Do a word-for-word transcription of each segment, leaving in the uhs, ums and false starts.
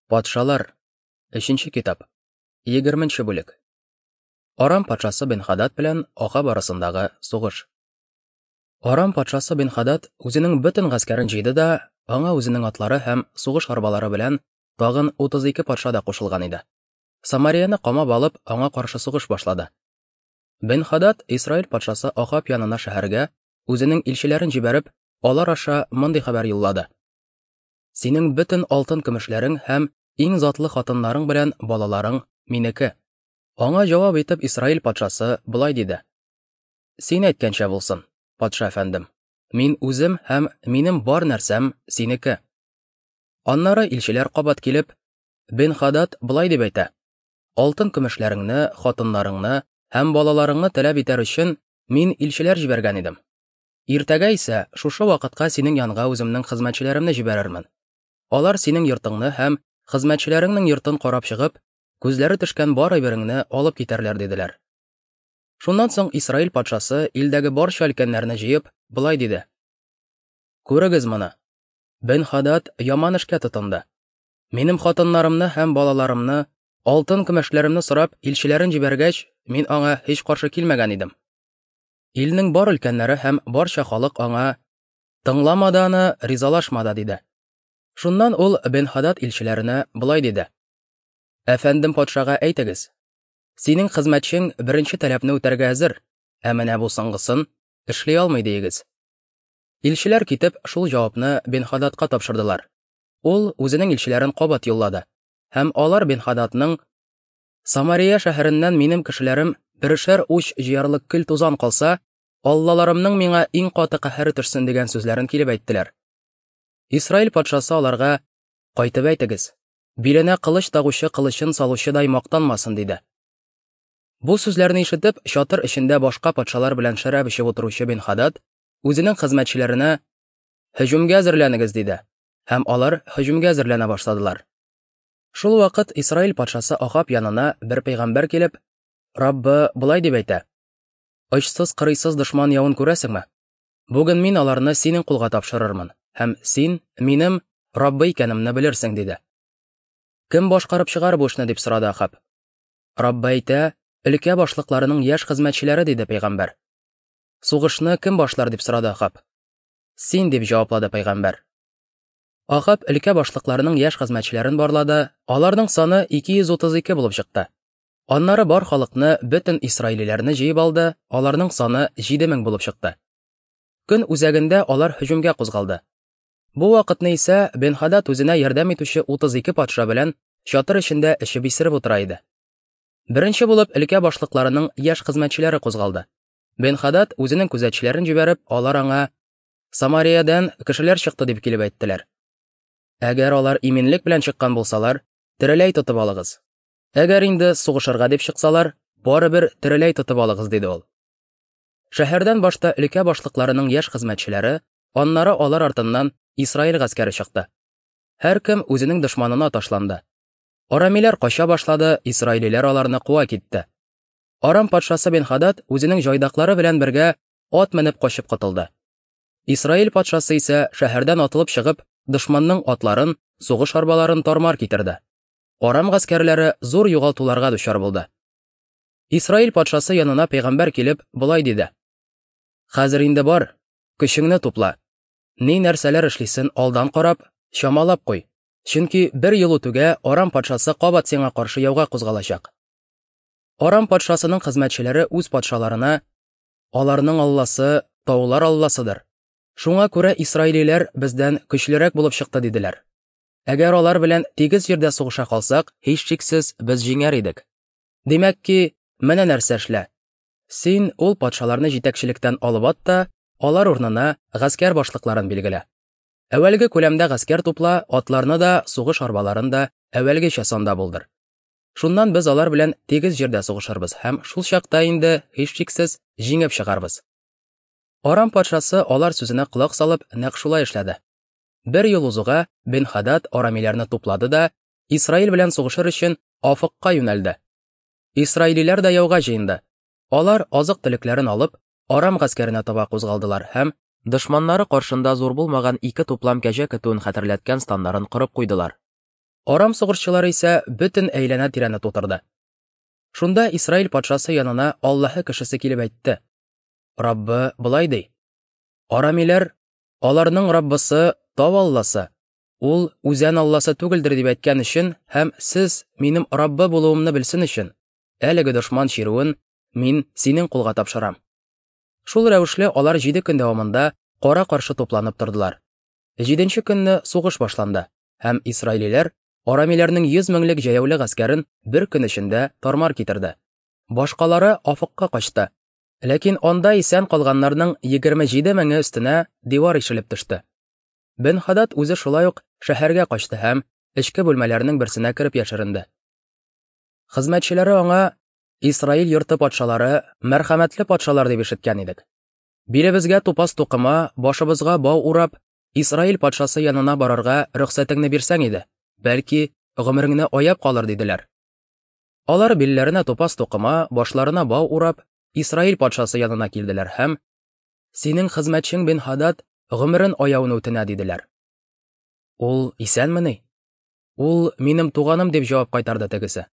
Патшалар, өченче китап, егерменче бүлек. Арам патшасы Бен-Хадад белән Ахаб арасындагы сугыш. Арам патшасы Бен-Хадад үзенең бөтен гаскәрен җыйды да, аңа үзенең атлары һәм сугыш арбалары белән тагын утыз ике патша да кушылган иде. Самарияны камап алып, аңа каршы сугыш башлады. Бен-Хадад Исраил патшасы Ахаб янына шәһәргә үзенең илчеләрен җибәреп, алар аша мондый хәбәр юллады: Синең бөтен алтын көмешләрең һәм иң затлы хатыннарың белән балаларың минеке. Аңа җавап итеп Исраил патшасы болай диде: Син әйткәнчә булсын, патша әфәндем. Мин үзем һәм минем бар нәрсәм синеке. Аннары илчеләр кабат килеп, Бен-Хадад болай дип әйтә: Алтын көмешләреңне, хатыннарыңны һәм балаларыңны таләп итәр өчен мин илчеләр җибәргән идем. Иртәгә исә шушы вакытка синең янга үземнең хезмәтчеләремне җибәрермен. Алар синең йортыңны һәм хезмәтчеләреңнең йортын карап чыгып, күзләре төшкән бар әйбереңне алып китәрләр, диделәр. Шуннан соң Исраил патшасы илдәге барча өлкәннәрне җыеп, болай диде: Күрегез моны. Бен-Хадад яман эшкә тотынды. Минем хатыннарымны һәм балаларымны, алтын көмешләремне сорап илчеләрен җибәргәч, мин аңа һич каршы килмәгән идем. Илнең бар өлкәннәре һәм барча халык аңа: Тыңлама да аны, ризалашма да, диде. Шуннан ул Бен-Хадад илчеләренә болай диде: Әфәндем патшага әйтегез: Синең хезмәтчең беренче таләпне үтәргә әзер, ә менә бу соңгысын эшли алмый, диегез. Илчеләр китеп шул җавапны Бен-Хададка тапшырдылар. Ул үзенең илчеләрен кабат юллады, һәм алар Бен-Хададның: Самария шәһәреннән минем кешеләрем берешәр уч җыярлык көл тузан калса, аллаларымның миңа иң каты каһәре төшсен, дигән сүзләрен килеп әйттеләр. Исраил патшасы аларга: Кайтып әйтегез, биленә кылыч тагучы кылычын салучыдай мактанмасын, диде. Бу сүзләрне ишетеп, чатыр эчендә башка патшалар белән шәраб эчеп утыручы Бен-Хадад үзенең хезмәтчеләренә: Һөҗүмгә әзерләнегез, диде, һәм алар һөҗүмгә әзерләнә башладылар. Шул вакыт Исраил патшасы Ахаб янына бер пәйгамбәр килеп, Раббы болай дип әйтә: Очсыз кырыйсыз дошман явын күрәсеңме? Бүген мин аларны синең кулга тапшырырмын, һәм син минем Раббы икәнемне белерсең, диде. Кем башкарып чыгар бу эшне, дип сорады Ахаб. Раббы әйтә: Өлкә башлыкларының яшь хезмәтчеләре, диде пәйгамбәр. Сугышны кем башлар, дип сорады Ахаб. Син, дип җаваплады пәйгамбәр. Ахаб өлкә башлыкларының яшь хезмәтчеләрен барлады, аларның саны ике йөз утыз ике булып чыкты. Аннары бар халыкны, бөтен исраилиләрне җыеп алды, аларның саны җиде мең булып чыкты. Көн үзәгендә алар һөҗүмгә кузгалды. Бу вакытны исә Бен-Хадад үзенә ярдәм итүче утыз ике патша белән чатыр эчендә эчеп исереп утыра иде. Беренче булып өлкә башлыкларының яшь хезмәтчеләре кузгалды. Бен-Хадад үзенең күзәтчеләрен җибәреп, алар аңа: Самариядән кешеләр чыкты, дип килеп әйттеләр. Әгәр алар иминлек белән чыккан булсалар, тереләй тотып алыгыз. Әгәр инде сугышырга дип чыксалар, барыбер тереләй тотып алыгыз, диде ул. Шәһәрдән башта өлкә башлыкларының яшь хезмәтчеләре, аннары алар артыннан Исраил гаскәре чыкты. Һәркем үзенең дошманына ташланды. Арамиләр кача башлады, исраилиләр аларны куа китте. Арам патшасы Бен-Хадад үзенең җайдаклары белән бергә ат менеп качып котылды. Исраил патшасы исә шәһәрдән атылып чыгып, дошманның атларын, сугыш арбаларын тармар китерде. Арам гаскәрләре зур югалтуларга дучар булды. Исраил патшасы янына пәйгамбәр килеп болай диде: Хәзер инде бар, көчеңне тупла. Ни нәрсәләр эшлисен алдан карап, чамалап куй. Чөнки бер ел үтүгә Арам патшасы кабат сиңа каршы яуга кузгалачак. Арам патшасының хезмәтчеләре үз патшаларына: Аларның алласы таулар алласыдыр. Шуңа күрә исраилиләр бездән көчлерәк булып чыкты, диделәр. Әгәр алар белән тигез җирдә сугыша калсак, һичшиксез без җиңәр идек. Димәк ки, менә нәрсә эшлә. Син ул патшаларны җитәкчелектән алып ат та, алар урынына гаскәр башлыкларын билгелә. Әүвәлге күләмдә гаскәр тупла, атларны да, сугыш арбаларын да әүвәлгечә санда булдыр. Шуннан без алар белән тигез җирдә сугышырбыз һәм шул чакта инде һичшиксез җиңеп чыгарбыз. Арам патшасы алар сүзенә колак салып, нәкъ шулай эшләде. Бер ел узуга Бен-Хадад арамиләрне туплады да, Исраил белән сугышыр өчен Афыкка юнәлде. Исраилиләр дә яуга җыенды. Алар азык-төлекләрен алып, Арам гаскәренә таба кузгалдылар һәм дошманнары каршында зур булмаган ике туплам кәҗә көтүен хәтерләткән станнарын корып куйдылар. Арам сугышчылары исә бөтен әйләнә-тирәне тутырды. Шунда Исраил патшасы янына Аллаһы кешесе килеп әйтте: Раббы болай ди: Арамиләр, аларның Раббысы тау алласы, ул үзән алласы түгелдер дип әйткән өчен һәм сез минем Раббы булуымны белсен өчен, әлеге дошман чирүен мин синең кулга тапшырам. Шул рәвешле алар җиде көн дәвамында кара-каршы тупланып тордылар. Җиденче көнне сугыш башланды, һәм исраилиләр арамиләрнең йөз меңлек җәяүле гаскәрен бер көн эчендә тармар китерде. Башкалары Афыкка качты. Ләкин анда исән калганнарның егерме җиде меңе өстенә дивар ишелеп төште. Бен-Хадад үзе шулай ук шәһәргә качты һәм эчке бүлмәләрнең берсенә кереп яшеренде. Хезмәтчеләре аңа: Исраил йорты патшалары мәрхәмәтле патшалар дип ишеткән идек. Билебезгә тупас тукыма, башыбызга бау урап, Исраил патшасы янына барырга рөхсәтеңне бирсәң иде, бәлки гомереңне аяп калыр, диделәр. Алар билләренә тупас тукыма, башларына бау урап, Исраил патшасы янына килделәр һәм: Синең хезмәтчең Бен-Хадад гомерен аяуны үтенә, диделәр. Ул исәнмени? Ул минем туганым, дип җавап кайтарды тегесе.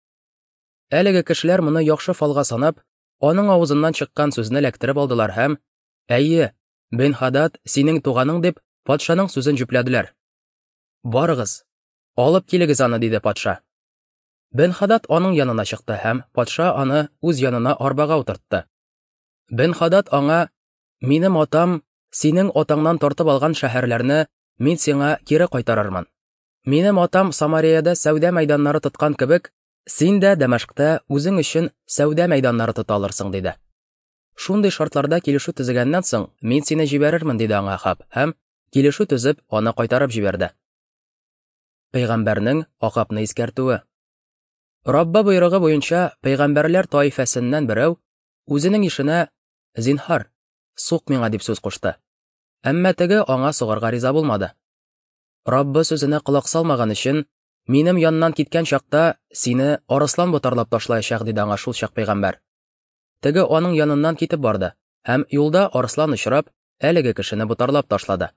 Әлеге кешеләр моны яхшы фалга санап, аның авызыннан чыккан сүзне эләктереп алдылар һәм: Әйе, Бен-Хадад синең туганың, дип патшаның сүзен җөпләделәр. Барыгыз, алып килегез аны, диде патша. Бен-Хадад аның янына чыкты һәм патша аны үз янына арбага утыртты. Бен-Хадад аңа: Минем атам синең атаңнан тартып алган шәһәрләрне мин сиңа кире кайтарырмын. Минем атам Самариядә сәүдә мәйданнары тоткан кебек, син дә Дәмәшкътә үзең өчен сәүдә мәйданнары тота алырсың, диде. Шундый шартларда килешү төзегәннән соң мин сине җибәрермен, диде аңа Ахаб һәм килешү төзеп аны кайтарып җибәрде. Пәйгамбәрнең Ахабны искәртүе. Рабба боерыгы буенча пәйгамбәрләр таифәсеннән берәү үзенең ишенә: Зинһар, сук миңа, дип сүз кушты. Әмма теге аңа сугарга риза булмады. Раббы сүзенә колак салмаган өчен минем яннан киткән чакта сине арыслан ботарлап ташлаячак, диде аңа шул чак пәйгамбәр. Теге аның яныннан китеп барды һәм юлда арыслан очрап, әлеге кешене ботарлап ташлады.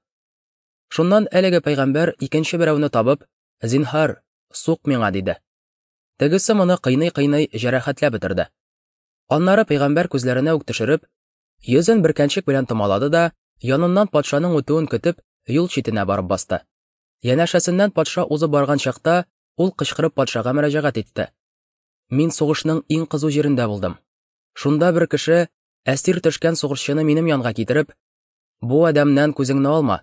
Шуннан әлеге пәйгамбәр икенче берәүне табып: Зинһар, сук миңа, диде. Тегесе моны кыйный-кыйный җәрәхәтләп бетерде. Аннары пәйгамбәр күзләренә үк төшереп, йөзен бөркәнчек белән томалады да, яныннан патшаның үтүен көтеп, юл читенә барып басты. Янәшәсеннән патша узып барган чакта, ул кычкырып патшага мөрәҗәгать итте: Мин сугышның иң кызу җирендә булдым. Шунда бер кеше әсир төшкән сугышчыны минем янга китереп: Бу адәмнән күзеңне алма.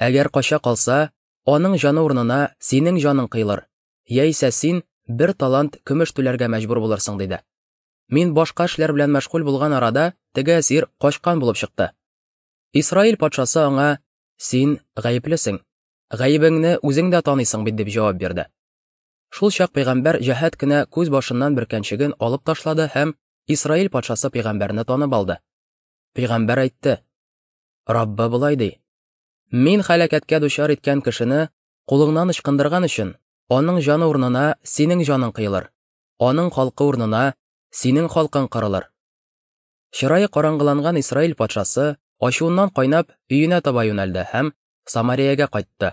Әгәр кача калса, аның җаны урынына синең җаның кыйлыр, яисә син бер талант көмеш түләргә мәҗбүр булырсың, диде. Мин башка эшләр белән мәшгуль булган арада теге әсир качкан булып чыкты. Исраил патшасы аңа: Син гаеплесең, гаебеңне үзең дә таныйсың бит, дип җавап бирде. Шул чак пәйгамбәр җәһәт кенә күз башыннан бөркәнчеген алып ташлады һәм Исраил патшасы пәйгамбәрне танып алды. Пәйгамбәр әйтте: Раббы болай ди: Мин һәлакәткә дучар иткән кешене кулыңнан ычкындырган өчен аның җаны урынына синең җаның кыйлыр, аның халкы урынына синең халкың кырылыр. Чырае караңгыланган Исраил патшасы ачуыннан кайнап өенә таба юнәлде һәм Самариягә кайтты.